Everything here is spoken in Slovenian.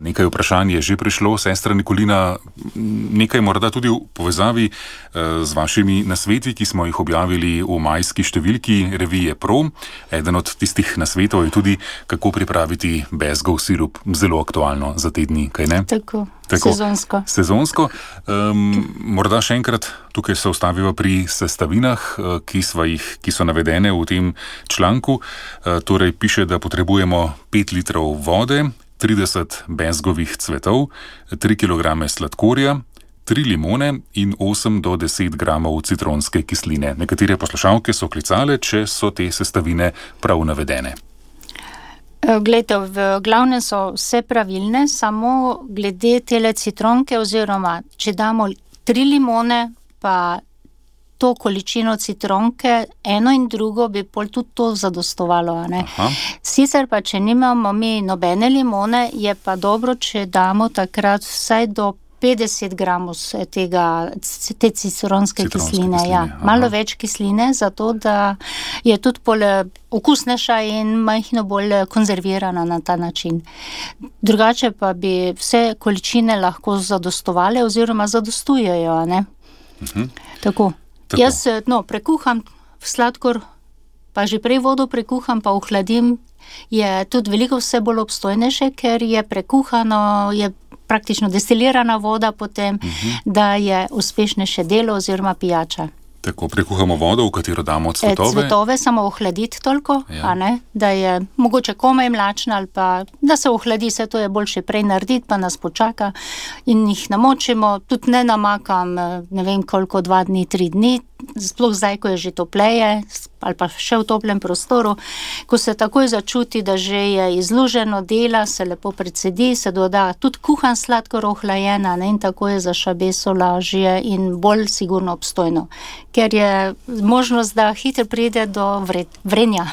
Nekaj vprašanj je že prišlo, sestra Nikolina, nekaj morda tudi v povezavi z vašimi nasveti, ki smo jih objavili v majski številki revije Pro. Eden od tistih nasvetov je tudi, kako pripraviti bezgov sirup. Zelo aktualno za te dni, kaj ne? Tako. Sezonsko. Morda še enkrat tukaj se ustavimo pri sestavinah, ki so navedene v tem članku. Torej piše, da potrebujemo 5 litrov vode, 30 bezgovih cvetov, 3 kg sladkorja, 3 limone in 8 do 10 gramov citronske kisline. Nekatere poslušalke so klicale, če so te sestavine prav navedene. Glejte, v glavnem so vse pravilne, samo glede tele citronke oziroma, če damo 3 limone, pa to količino citronke, eno in drugo bi pol tudi to zadostovalo, ne? Sicer pa, če nimamo mi nobene limone, je pa dobro, če damo takrat vsaj do 50 gramov te citronske kisline. Ja. Malo več kisline, zato da je tudi pol okusnejša in majhno bolj konzervirana na ta način. Drugače pa bi vse količine lahko zadostovale oziroma zadostujejo, ne? Tako. Jaz prekuham sladkor, pa že prej vodo prekuham, pa ohladim, je tudi veliko vse bolj obstojnejše, ker je prekuhano, je praktično destilirana voda potem, da je uspešnejše delo oziroma pijača. Tako, prekuhamo vodo, v katero damo cvetove. Cvetove samo ohladiti toliko, a ne, da je mogoče komaj mlačna ali pa, da se ohladi, se to je boljše prej narediti, pa nas počaka in jih namočimo, tudi ne namakam, ne vem koliko, 2 dni, 3 dni, sploh zdaj, ko je že topleje ali pa še v toplem prostoru, ko se takoj začuti, da že je izluženo dela, se lepo precedi, se doda tudi kuhan sladkor ohlajena, ne, in tako je za šabeso lažje in bolj sigurno obstojno, ker je možnost, da hitro pride do vrenja.